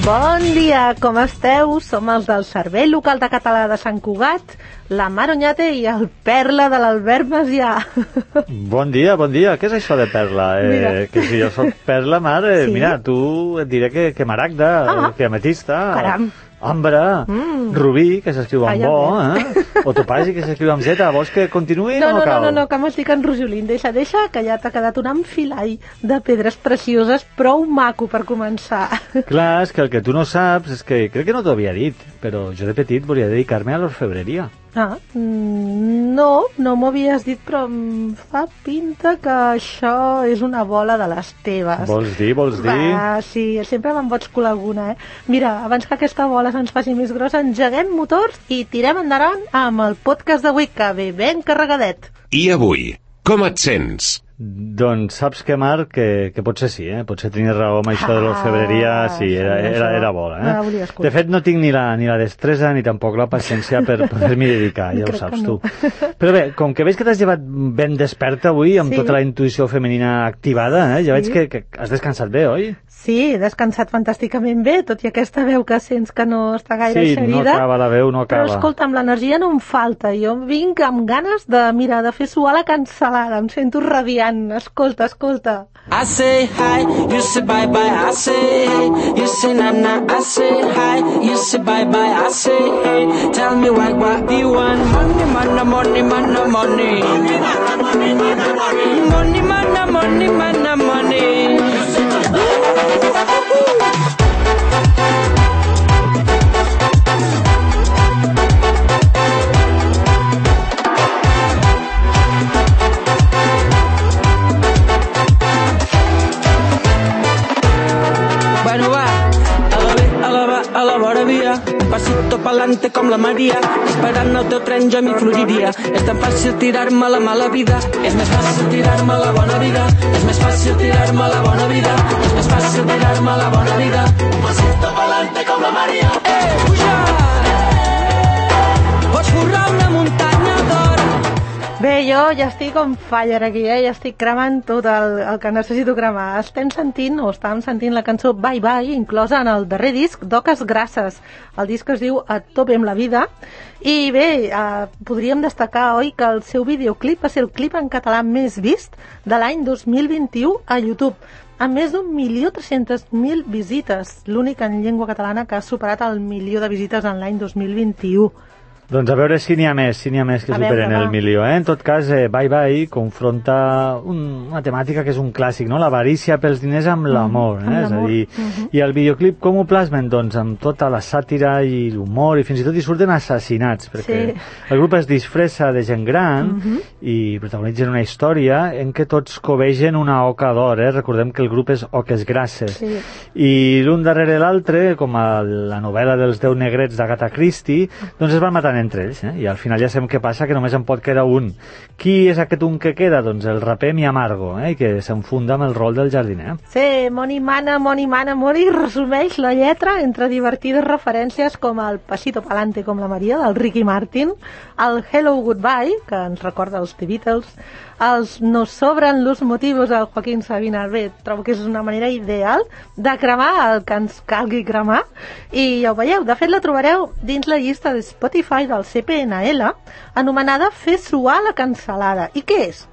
Bon dia, com esteu? Som els del Servei Local de Català de Sant Cugat, la Mar Oñate i el Perla de l'Albert Macià. Bon dia, bon dia. Què és això de Perla? Que si jo soc Perla, Mar, sí? Mira, tu et diré que maragda, que ametista, caram, ambre, rubí, que s'escriu amb o topazi, que s'escriu amb Z. Vols que continuï o no cal? No, que m'estic enrojolint. Deixa, que ja t'ha quedat un enfilall de pedres precioses, prou maco per començar. Clar, és que el que tu no saps és que crec que no t'ho havia dit, però jo de petit volia dedicar-me a l'orfebreria. No m'ho havies dit, però em fa pinta que això és una bola de les teves. Vols dir? Sí, sempre me'n pots colar alguna, Mira, abans que aquesta bola se'ns faci més grossa, engeguem motors i tirem endavant amb el podcast d'avui, que ve ben carregadet. I avui, com et sents? Doncs saps que, Marc, que potser sí, potser tenies raó amb això de l'orfebreria, sí, era bola, De fet, no tinc ni la destresa ni tampoc la paciència per poder-m'hi dedicar, ja ho saps tu. Però bé, com que veig que t'has llevat ben desperta avui, amb tota la intuïció femenina activada, ja veig que has descansat bé, oi? Sí, he descansat fantàsticament bé, tot i aquesta veu que sents que no està gaire eixerida. Sí, no acaba la veu, no acaba. Però escolta'm, l'energia no em falta. Jo vinc amb ganes de fer suar la cansalada. Em sento radiant. Escolta. I say hi, you say bye bye, I say hey, you say na na, I say hi, you say bye bye, I say hey, tell me what do you want? Money, money, money, money, money, money, money, money, money, money. Bueno va, a la vora via, pasito pa'lante com la Maria, esperant el teu tren jo m'hi floriria. És tan fàcil tirar-me la mala vida, és més fàcil tirar-me la bona vida, és més fàcil tirar-me la bona vida, és més fàcil tirar-me la bona vida. Pasito pa'lante com la Maria. Puja! Pots forrar una muntanya d'or. Bé, jo ja estic on fire aquí, ja estic cremant tot el que necessito cremar. Estàvem sentint la cançó Bye Bye, inclosa en el darrer disc d'Oques Grasses. El disc es diu A tope amb la vida. I bé, podríem destacar, oi, que el seu videoclip va ser el clip en català més vist de l'any 2021 a YouTube, amb més d'1.300.000 visites, l'únic en llengua catalana que ha superat el 1.000.000 de visites en l'any 2021. Doncs a veure si n'hi ha més que superen el 1.000.000, En tot cas, Bye Bye confronta una temàtica que és un clàssic, no? L'avarícia pels diners amb l'amor, És a dir, i el videoclip com ho plasmen? Doncs amb tota la sàtira i l'humor, i fins i tot hi surten assassinats, perquè el grup es disfressa de gent gran i protagonitzen una història en què tots covegen una oca d'or, Recordem que el grup és Oques Grasses. I l'un darrere l'altre, com a la novel·la dels 10 negrets d'Agatha Christie, doncs es van matar entre ells, i al final ja sabem què passa, que només en pot quedar un. Qui és aquest un que queda? Doncs el raper Mi Amargo, i que s'enfunda amb el rol del jardiner. Sí, Money Mana, Money, resumeix la lletra entre divertides referències com el Pasito Pa'lante com la Maria, del Ricky Martin, el Hello Goodbye, que ens recorda els The Beatles, els Nos sobran los motivos del Joaquín Sabina. Bé, trobo que és una manera ideal de cremar el que ens calgui cremar, i ja ho veieu, de fet la trobareu dins la llista de Spotify del CPNL, anomenada Fer suar la cansalada. I què és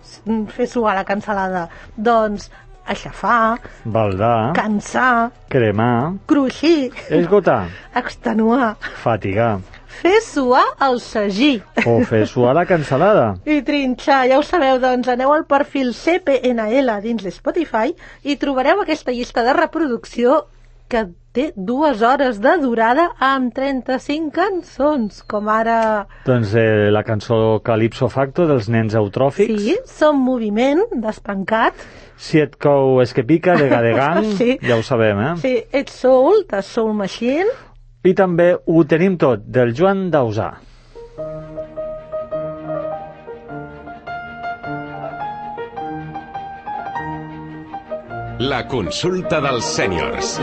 fer suar la cansalada? Doncs aixafar, baldar, cansar, cremar, cruixir, esgotar, extenuar, fatigar, fer suar el sagí o fer suar la cansalada i trinxar. Ja ho sabeu, doncs aneu al perfil CPNL dins de Spotify i trobareu aquesta llista de reproducció que té 2 hores de durada amb 35 cançons, com ara... Doncs la cançó Calypso Facto dels Nens Eutròfics. Sí, Som Moviment, d'Espancat. Si et cou és que pica, de Gadegang, ja ho sabem, Sí, It's Soul, de Soul Machine. I també Ho tenim tot, del Joan Dausà. La consulta dels sèniors.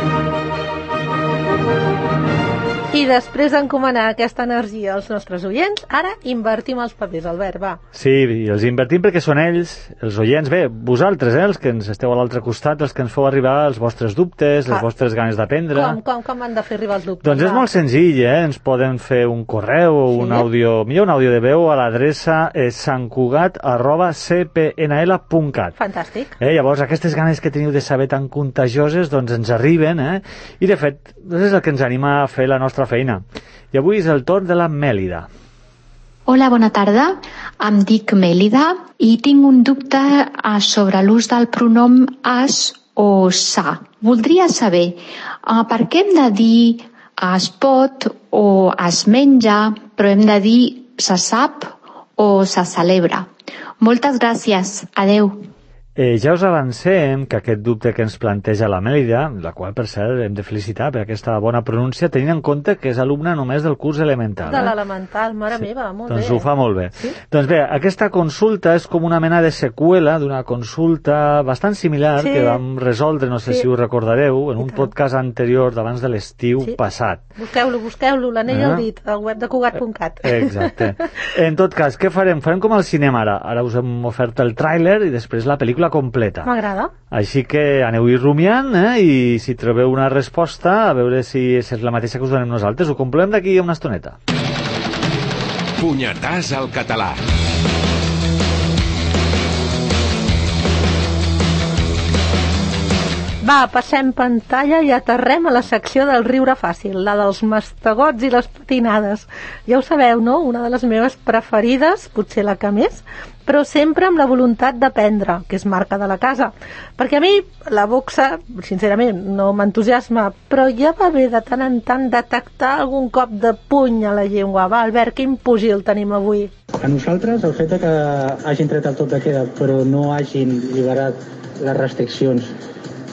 I després d'encomanar aquesta energia als nostres oients, ara invertim els papers, Albert, va. Sí, i els invertim perquè són ells, els oients, bé, vosaltres, els que ens esteu a l'altre costat, els que ens feu arribar els vostres dubtes, les vostres ganes d'aprendre. Com han de fer arribar els dubtes? Doncs és molt senzill, ens poden fer un correu o un àudio, millor un àudio de veu a l'adreça santcugat@cpnl.cat. Fantàstic. Llavors, aquestes ganes que teniu de saber tan contagioses, doncs ens arriben, i de fet, és el que ens anima a fer la nostra feina. I avui és el torn de la Mèlida. Hola, bona tarda. Em dic Mèlida i tinc un dubte sobre l'ús del pronom es o sa. Voldria saber per què hem de dir es pot o es menja, però hem de dir se sap o se celebra. Moltes gràcies. Adeu. Ja us avancem que aquest dubte que ens planteja la Mèlida, la qual, per cert, hem de felicitar per aquesta bona pronúncia, tenint en compte que és alumna només del curs elemental. De l'elemental, mare meva, molt bé. Doncs ho fa molt bé. Sí? Doncs bé, aquesta consulta és com una mena de seqüela d'una consulta bastant similar que vam resoldre, no sé si ho recordareu, en un podcast anterior d'abans de l'estiu passat. Busqueu-lo, l'anell al dit, al web de Cugat.cat. Exacte. En tot cas, què farem? Farem com al cinema ara. Ara us hem ofert el tràiler i després la pel·lícula completa. M'agrada. Així que aneu-hi rumiant, i si trobeu una resposta, a veure si és la mateixa que us donem nosaltres. Ho comprovem d'aquí a una estoneta. Punyetàs al català. Va, passem pantalla i aterrem a la secció del riure fàcil, la dels mastegots i les patinades. Ja ho sabeu, no? Una de les meves preferides, potser la que més, però sempre amb la voluntat d'aprendre, que és marca de la casa. Perquè a mi la boxa, sincerament, no m'entusiasma, però ja va bé de tant en tant detectar algun cop de puny a la llengua. Va, Albert, quin pugil tenim avui? A nosaltres, el fet que hagin tret el toc de queda però no hagin liberat les restriccions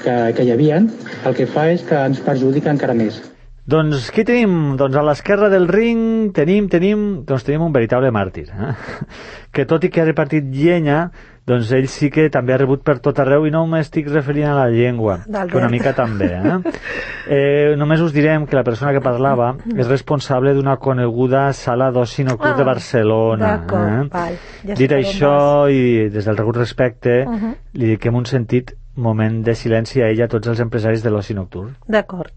que hi havia, el que fa és que ens perjudica encara més. Doncs qui tenim? Doncs a l'esquerra del ring tenim un veritable màrtir, que tot i que ha repartit llenya, doncs ell sí que també ha rebut per tot arreu, i no m'estic referint a la llengua, que una mica també. Només us direm que la persona que parlava és responsable d'una coneguda sala d'oci nocturn de Barcelona. D'acord, val. Dit això, i des del regut respecte, li dediquem un sentit moment de silenci a ella, a tots els empresaris de l'oci nocturn. D'acord.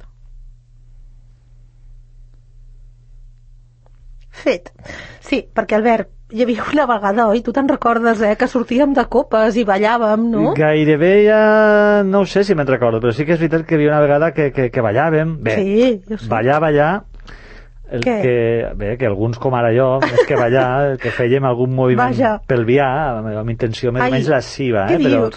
Fet. Sí, perquè, Albert, hi havia una vegada, oi? Tu te'n recordes, que sortíem de copes i ballàvem, no? Gairebé ja no sé si me'n recordo, però sí que és veritat que hi havia una vegada que ballàvem. Bé, sí, jo sé. ballar, que alguns com ara jo, més que ballar, el que fèiem algun moviment pelvià, amb intenció més o menys lasciva. Però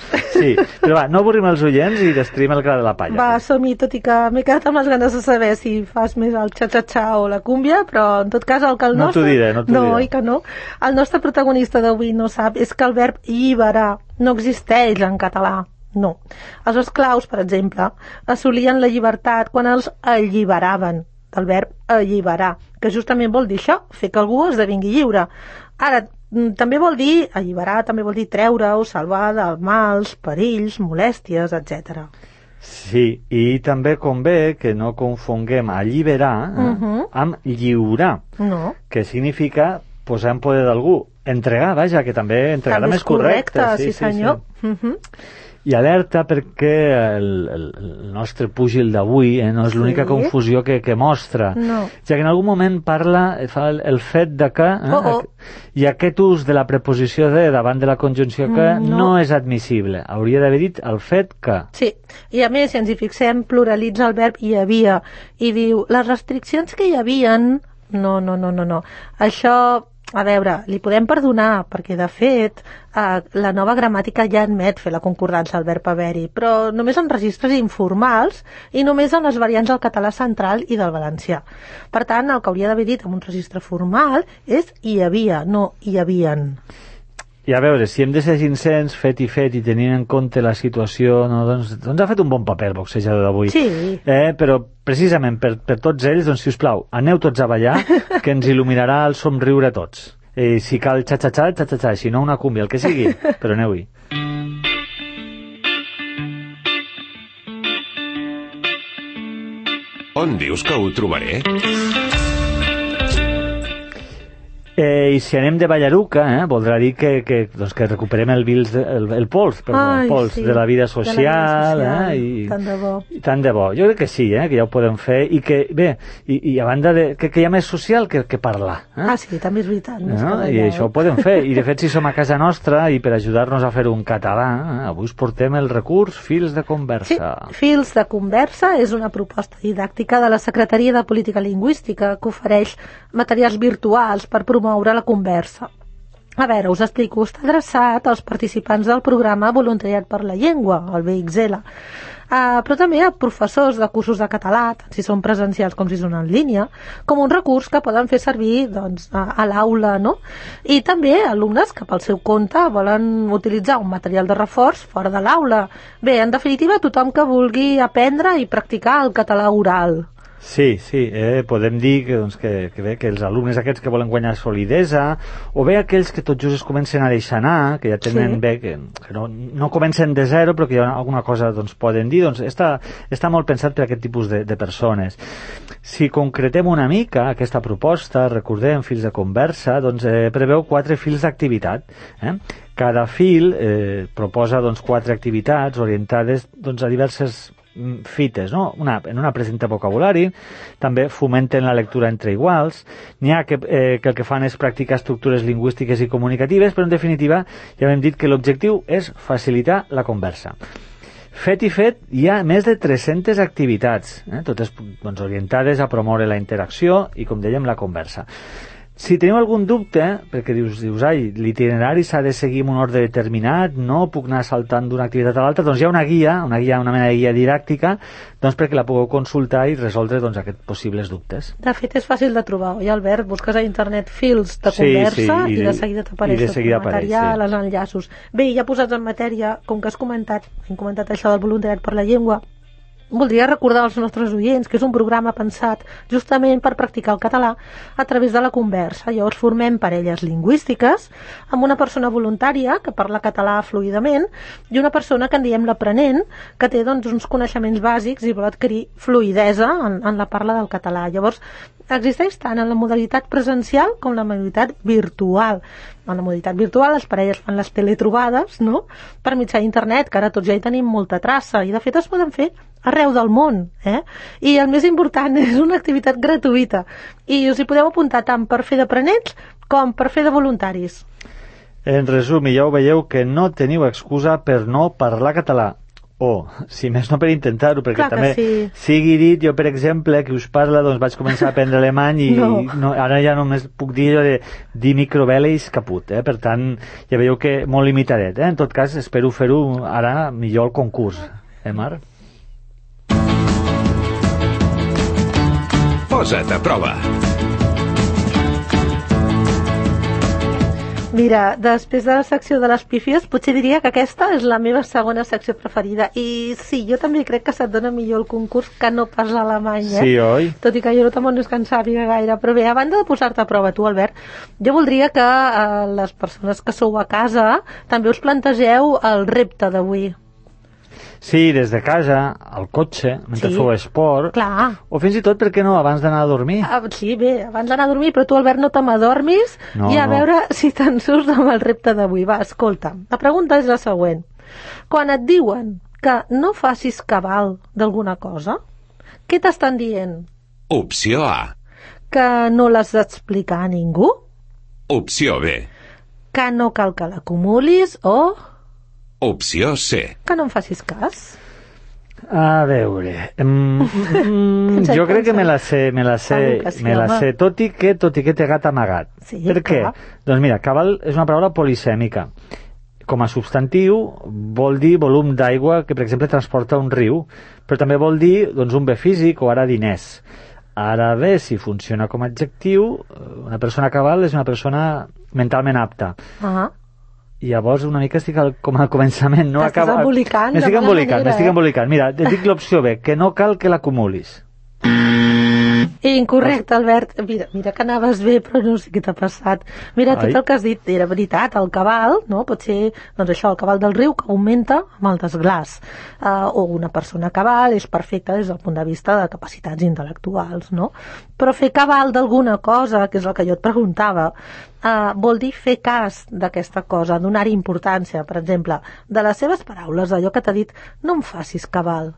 va, no avorrim els oients i destruïm el gra de la palla. Va, som-hi, tot i que m'he quedat amb les ganes de saber si fas més el xa-xa-xa o la cúmbia, però en tot cas el que el nostre... No t'ho diré. No, oi que no? El nostre protagonista d'avui no sap és que el verb lliberar no existeix en català. No. Els esclaus, per exemple, assolien la llibertat quan els alliberaven, del verb alliberar, que justament vol dir això, fer que algú esdevingui lliure. Ara, també vol dir, alliberar també vol dir treure o salvar dels mals, perills, molèsties, etc. Sí, i també convé que no confonguem alliberar amb lliurar, que significa posar en poder d'algú, entregar, vaja, que també entregar també és correcte. Sí, senyor. I alerta perquè el nostre púgil d'avui no és l'única confusió que mostra, ja que en algun moment fa el fet de que i aquest ús de la preposició de davant de la conjunció que no és admissible, hauria d'haver dit el fet que. Sí, i a més, si ens hi fixem, pluralitza el verb hi havia i diu, les restriccions que hi havien no. Això, a veure, li podem perdonar, perquè de fet la nova gramàtica ja admet fer la concordança al verb haver-hi, però només en registres informals i només en les variants del català central i del valencià. Per tant, el que hauria d'haver dit en un registre formal és hi havia, no hi havien. I a veure, si hem de ser sincers, fet i tenint en compte la situació, doncs ha fet un bon paper el boxejador d'avui. Sí. Però precisament per tots ells, doncs, si us plau, aneu tots a ballar, que ens il·luminarà el somriure a tots. Si cal xa-xa-xa, si no una cúmbia, el que sigui, però aneu-hi. On dius que ho trobaré? I si anem de Ballaruca, voldrà dir que recuperem el pols de la vida social. Tant de bo. Tant de bo. Jo crec que sí, que ja ho podem fer. I que, bé, i a banda que hi ha més social que parlar. Sí, també és veritat. I això ho podem fer. I de fet, si som a casa nostra, i per ajudar-nos a fer un català, avui us portem el recurs Fils de Conversa. Sí, Fils de Conversa és una proposta didàctica de la Secretaria de Política Lingüística que ofereix materials virtuals per promoure la conversa. A veure, us explico, està adreçat als participants del programa Voluntariat per la Llengua, el VXL, però també a professors de cursos de català, tant si són presencials com si són en línia, com un recurs que poden fer servir a l'aula, no? I també alumnes que pel seu compte volen utilitzar un material de reforç fora de l'aula. Bé, en definitiva, tothom que vulgui aprendre i practicar el català oral. Sí, podem dir que els alumnes aquests que volen guanyar solidesa, o bé aquells que tot just es comencen a deixar anar, que ja tenen bé, que no comencen de zero, però que hi ha alguna cosa poden dir, està molt pensat per a aquest tipus de persones. Si concretem una mica aquesta proposta, recordem, Fils de Conversa, preveu 4 fils d'activitat. Cada fil proposa 4 activitats orientades a diverses fites, no? En una presenta vocabulari, també fomenten la lectura entre iguals, n'hi ha que el que fan és practicar estructures lingüístiques i comunicatives, però en definitiva ja hem dit que l'objectiu és facilitar la conversa. Fet i fet, hi ha més de 300 activitats, totes orientades a promoure la interacció i, com dèiem, la conversa. Si teniu algun dubte, perquè dius, l'itinerari s'ha de seguir en un ordre determinat, no puc anar saltant d'una activitat a l'altra, hi ha una mena de guia didàctica, perquè la pugueu consultar i resoldre aquests possibles dubtes. De fet, és fàcil de trobar, oi, Albert? Busques a internet Fils de Conversa i de seguida t'apareix el material, els enllaços. Bé, ja posats en matèria, com que hem comentat això del voluntariat per la llengua, voldria recordar als nostres oients que és un programa pensat justament per practicar el català a través de la conversa. Llavors formem parelles lingüístiques amb una persona voluntària que parla català fluidament i una persona que en diem l'aprenent, que té uns coneixements bàsics i vol adquirir fluidesa en la parla del català. Llavors, existeix tant en la modalitat presencial com en la modalitat virtual. En la modalitat virtual les parelles fan les teletrobades, no?, per mitjà d'internet, que ara tots ja hi tenim molta traça, i de fet es poden fer arreu del món, I el més important, és una activitat gratuïta, i us hi podeu apuntar tant per fer d'aprenents com per fer de voluntaris. En resum, ja ho veieu que no teniu excusa per no parlar català. O, si més no per intentar-ho, perquè també sigui dit, jo per exemple, que us parla, vaig començar a aprendre alemany i ara ja només puc dir allò de dir microveles caput, per tant, ja veieu que molt limitadet, En tot cas, espero fer-ho ara millor al concurs, Mar? Posa't a prova. Mira, després de la secció de les pífies, potser diria que aquesta és la meva segona secció preferida. I sí, jo també crec que se't dona millor el concurs que no pas l'alemany, Sí, oi? Tot i que jo tampoc no és que en sàpiga gaire. Però bé, a banda de posar-te a prova tu, Albert, jo voldria que les persones que sou a casa també us plantegeu el repte d'avui. Sí, des de casa, al cotxe, mentre feu esport. Clar. O fins i tot, per què no, abans d'anar a dormir? Sí, bé, abans d'anar a dormir, però tu, Albert, no te m'adormis i a veure si te'n surts amb el repte d'avui. Va, escolta, la pregunta és la següent. Quan et diuen que no facis cabal d'alguna cosa, què t'estan dient? Opció A. Que no l'has d'explicar a ningú? Opció B. Que no cal que l'acumulis o... Opció C. Que no em facis cas? A veure... jo crec que me la sé, tot i que té gat amagat. Sí, per què? Doncs mira, cabal és una paraula polisèmica. Com a substantiu vol dir volum d'aigua que, per exemple, transporta un riu, però també vol dir un bé físic o ara diners. Ara bé, si funciona com a adjectiu, una persona cabal és una persona mentalment apta. I llavors una mica estic com al començament, no acaba... M'estic embolicant. Mira, et dic l'opció B, que no cal que l'acumulis. Incorrecte, Albert. Mira que anaves bé, però no sé què t'ha passat. Mira, tot el que has dit era veritat. El cabal, no? Pot ser, doncs això, el cabal del riu que augmenta amb el desglàs. O una persona cabal és perfecta des del punt de vista de capacitats intel·lectuals, no? Però fer cabal d'alguna cosa, que és el que jo et preguntava, vol dir fer cas d'aquesta cosa, donar-hi importància. Per exemple, de les seves paraules, allò que t'ha dit, no em facis cabal.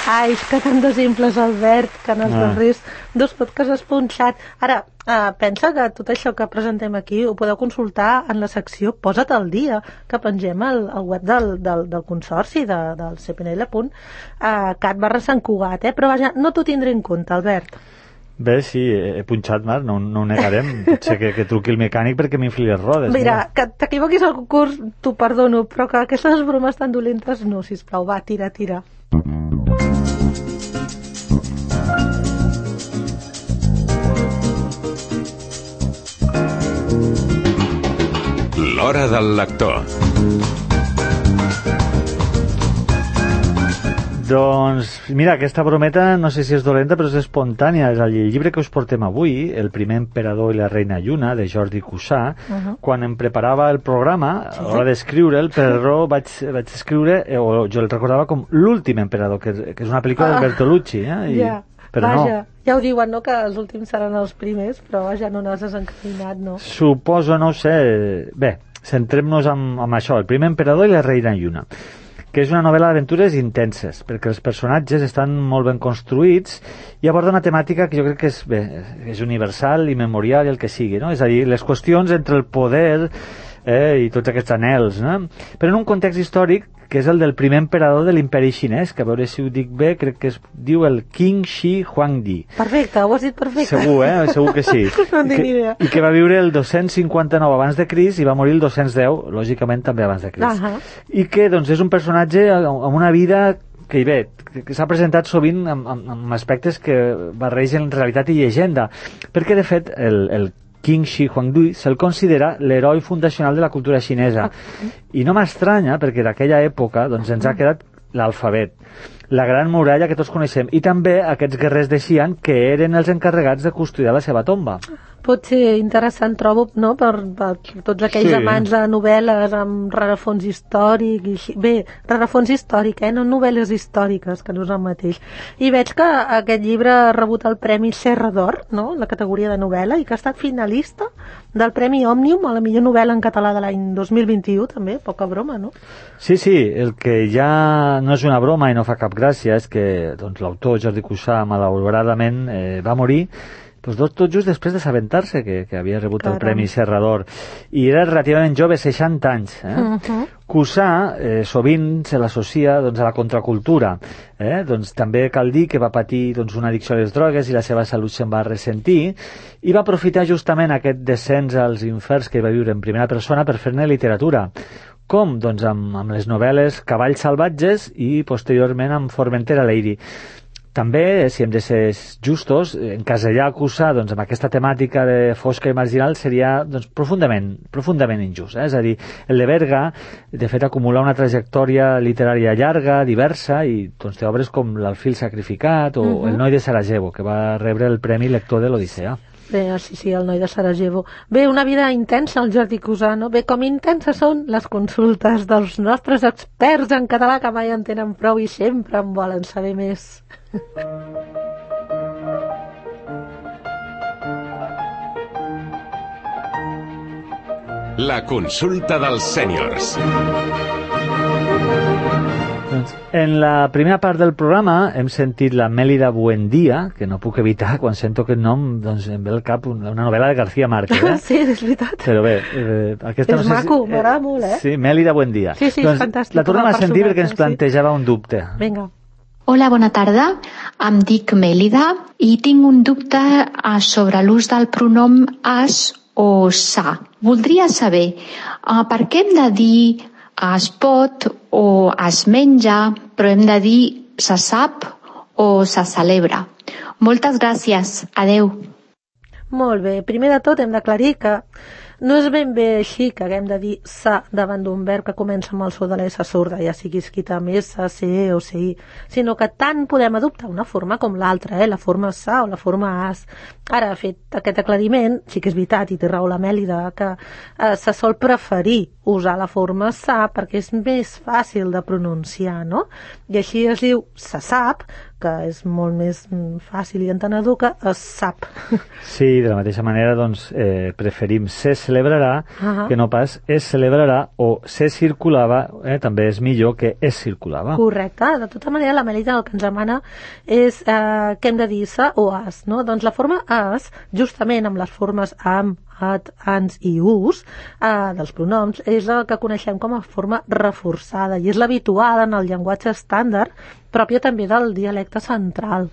Ai, és que tant d'exemples, Albert, que en els darrers 2 podcasts has punxat. Ara, pensa que tot això que presentem aquí ho podeu consultar en la secció Posa't al dia, que pengem al web del Consorci, del cpnl.cat/Sant Cugat, però vaja, no t'ho tindré en compte, Albert. Bé, sí, he punxat, Marc, no ho negarem. Potser que truqui el mecànic perquè m'infli les rodes. Mira, que t'equivoquis al concurs, t'ho perdono, però que aquestes bromes tan dolentes no, sisplau, va, tira. L'hora del lector. Doncs, mira, aquesta brometa no sé si és dolenta, però és espontània. És el llibre que us portem avui, El primer emperador i la reina Lluna, de Jordi Cussà. Quan em preparava el programa, a l'hora d'escriure'l, per error vaig escriure, o jo el recordava com L'últim emperador, que és una pel·lícula de Bertolucci. Però vaja, ja ho diuen, no?, que els últims seran els primers, però vaja, no n'has desencaminat, no? Suposo, no ho sé. Bé, centrem-nos en això, El primer emperador i la reina Lluna, que és una novel·la d'aventures intenses, perquè els personatges estan molt ben construïts i aborda una temàtica que jo crec que és universal i memorial i el que sigui, no? És a dir, les qüestions entre el poder i tots aquests anhels, no? Però en un context històric que és el del primer emperador de l'imperi xinès, que a veure si ho dic bé, crec que es diu el Qin Shi Huangdi. Perfecte, ho has dit perfecte. Segur, segur que sí. No en tinc ni idea. I que va viure el 259 abans de Crist i va morir el 210, lògicament també abans de Crist. I que, doncs, és un personatge amb una vida que s'ha presentat sovint amb aspectes que barregen realitat i llegenda, perquè, de fet, el Qin Shi Huangdi se'l considera l'heroi fundacional de la cultura xinesa. I no m'estranya, perquè d'aquella època doncs, ens ha quedat l'alfabet, la gran muralla que tots coneixem, i també aquests guerrers de Xi'an que eren els encarregats de custodiar la seva tomba. Pot ser interessant, trobo, no?, per tots aquells amants de novel·les amb rerefons històric i així. Bé, rerefons històric, no novel·les històriques, que no és el mateix. I veig que aquest llibre ha rebut el Premi Serra d'Or, no?, en la categoria de novel·la, i que ha estat finalista del Premi Òmnium a la millor novel·la en català de l'any 2021, també, poca broma, no? Sí, el que ja no és una broma i no fa cap gràcia és que doncs, l'autor Jordi Cussà malauradament va morir tot just després d'assabentar-se que havia rebut el Premi Serra d'Or, i era relativament jove, 60 anys. Cussà sovint se l'associa doncs, a la contracultura. Doncs, també cal dir que va patir doncs, una addicció a les drogues i la seva salut se'n va ressentir, i va aprofitar justament aquest descens als inferns que va viure en primera persona per fer-ne literatura. Com? Doncs amb les novel·les Cavalls salvatges i posteriorment amb Formentera Lady. També, si hem de ser justos, encasellar Cussà doncs, amb aquesta temàtica de fosca i marginal seria doncs, profundament injust. És a dir, el de Berga, de fet, acumula una trajectòria literària llarga, diversa, i doncs, té obres com L'Alfil sacrificat o El noi de Sarajevo, que va rebre el Premi Lector de l'Odissea. Bé, sí, el noi de Sarajevo. Bé, una vida intensa, el Jordi Cussà, no? Bé, com intenses són les consultes dels nostres experts en català, que mai en tenen prou i sempre en volen saber més. La consulta dels sèniors. En la primera part del programa hem sentit la Mélida Buendía, que no puc evitar, quan sento aquest nom doncs em ve al cap una novel·la de García Márquez. Sí, és veritat. Però bé, aquesta és maco, m'agrada molt, Sí, Mélida Buendía. Sí, és fantàstic. La tornem a sentir perquè ens plantejava un dubte. Vinga. Hola, bona tarda. Em dic Mélida i tinc un dubte sobre l'ús del pronom as o sa. Voldria saber per què hem de dir es pot o es menja, però hem de dir se sap o se celebra. Moltes gràcies. Adeu. Molt bé. Primer de tot hem d'aclarir que No és ben bé així que haguem de dir sa davant d'un verb que comença amb el so de l'S sorda, ja sigui escrit amb S, C o CI, sinó que tant podem adoptar una forma com l'altra, la forma sa o la forma as. Ara, fet aquest aclariment, sí que és veritat, i té raó la Mèlida, que se sol preferir usar la forma sa perquè és més fàcil de pronunciar, no? I així es diu se sap, que és molt més fàcil i entenedor que es sap. Sí, de la mateixa manera, doncs, preferim se celebrarà que no pas es celebrarà, o se circulava, també és millor que es circulava. Correcte. De tota manera, la Melita el que ens demana és que hem de dir sa o as, no? Doncs la forma as, justament amb les formes am, at, ans i us dels pronoms, és la que coneixem com a forma reforçada i és l'habitual en el llenguatge estàndard, pròpia també del dialecte central.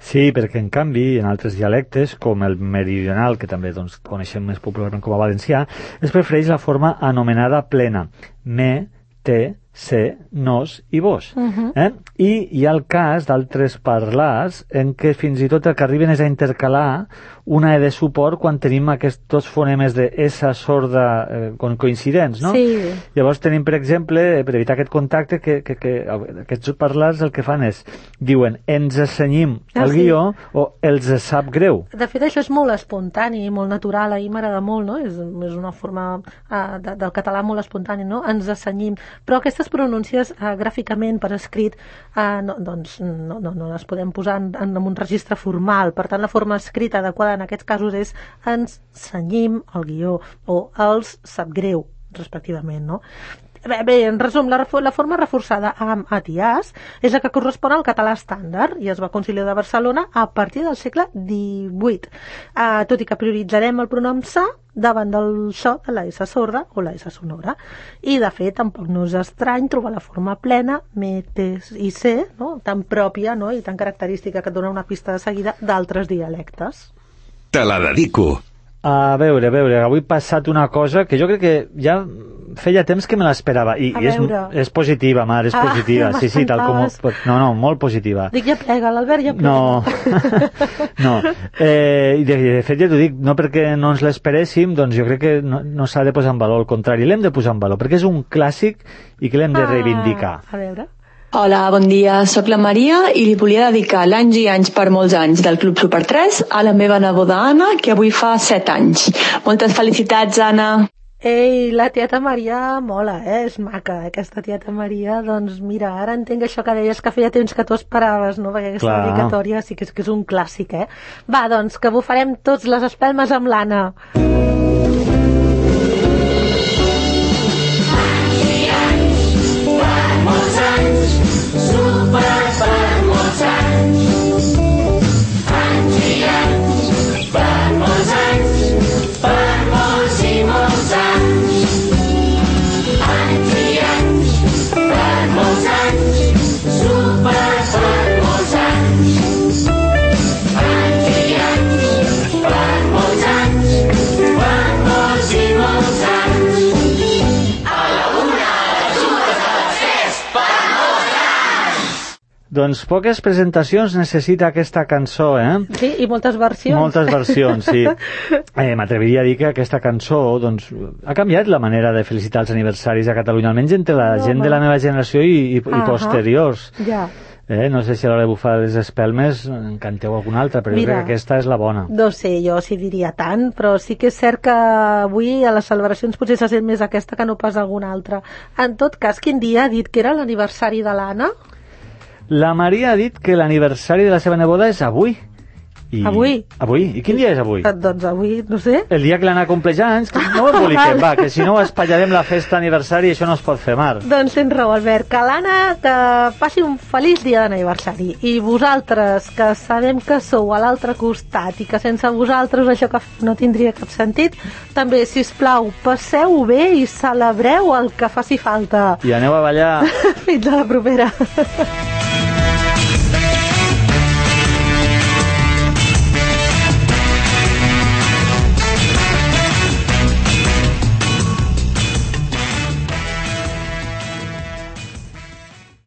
Sí, perquè en canvi en altres dialectes, com el meridional, que també doncs, coneixem més popularment com a valencià, es prefereix la forma anomenada plena, me, te, se, nos i vos. I hi ha el cas d'altres parlars en què fins i tot el que arriben és a intercalar una E de suport quan tenim aquests dos fonemes de S sorda coincidents, no? Sí. Llavors tenim, per exemple, per evitar aquest contacte, que aquests parlars el que fan és, diuen, ens assenyim el guió o els sap greu. De fet, això és molt espontani, molt natural, a mi m'agrada molt, no? És una forma del català molt espontani, no? Ens assenyim. Però aquestes pronúncies gràficament per escrit no les podem posar en un registre formal. Per tant, la forma escrita adequada en aquests casos és ens cenyim el guió o els sap greu, respectivament, no? Bé, en resum, la forma reforçada amb at i as és la que correspon al català estàndard i es va Concili de Barcelona a partir del segle XVIII, tot i que prioritzarem el pronom sa davant del so de la S sorda o la S sonora. I, de fet, tampoc no és estrany trobar la forma plena, me, te i se, no? Tan pròpia, no? I tan característica que et dona una pista de seguida d'altres dialectes. Te la dedico. A veure, avui ha passat una cosa que jo crec que ja feia temps que me l'esperava i és positiva, Mar, és positiva. Sí, tal com... No, molt positiva. Dic, ja plega, l'Albert ja plega. No. De fet, ja t'ho dic, no perquè no ens l'esperéssim, doncs jo crec que no s'ha de posar en valor, al contrari, l'hem de posar en valor, perquè és un clàssic i que l'hem de reivindicar. A veure... Hola, bon dia, sóc la Maria i li volia dedicar l'anys i anys per molts anys del Club Super 3 a la meva neboda Anna, que avui fa 7 anys. Moltes felicitats, Anna! Ei, la tieta Maria mola, és maca, aquesta tieta Maria. Doncs mira, ara entenc això que deies que feia temps que tu esperaves, no? Perquè aquesta dedicatòria sí que és un clàssic, Va, doncs, que bufarem tots les espelmes amb l'Anna. Doncs poques presentacions necessita aquesta cançó, Sí, i moltes versions. Moltes versions, sí. M'atreviria a dir que aquesta cançó doncs, ha canviat la manera de felicitar els aniversaris a Catalunya, almenys entre la gent de la meva generació i posteriors. Ja. No sé si a l'hora de bufar les espelmes en canteu alguna altra, però jo crec que aquesta és la bona. No sé, jo sí diria tant, però sí que és cert que avui a les celebracions potser se sent més aquesta que no pas alguna altra. En tot cas, quin dia ha dit que era l'aniversari de l'Anna? La Maria ha dit que l'aniversari de la seva neboda és avui. Avui? I quin dia és avui? Doncs avui, no sé. El dia que l'Anna compleix anys, que no ho emboliquem, que si no espatllarem la festa aniversari i això no es pot fer, Mar. Doncs tens raó, Albert, que l'Anna que passi un feliç dia d'aniversari. I vosaltres, que sabem que sou a l'altre costat i que sense vosaltres això que no tindria cap sentit, també, sisplau, passeu bé i celebreu el que faci falta. I aneu a ballar. Fins a la propera.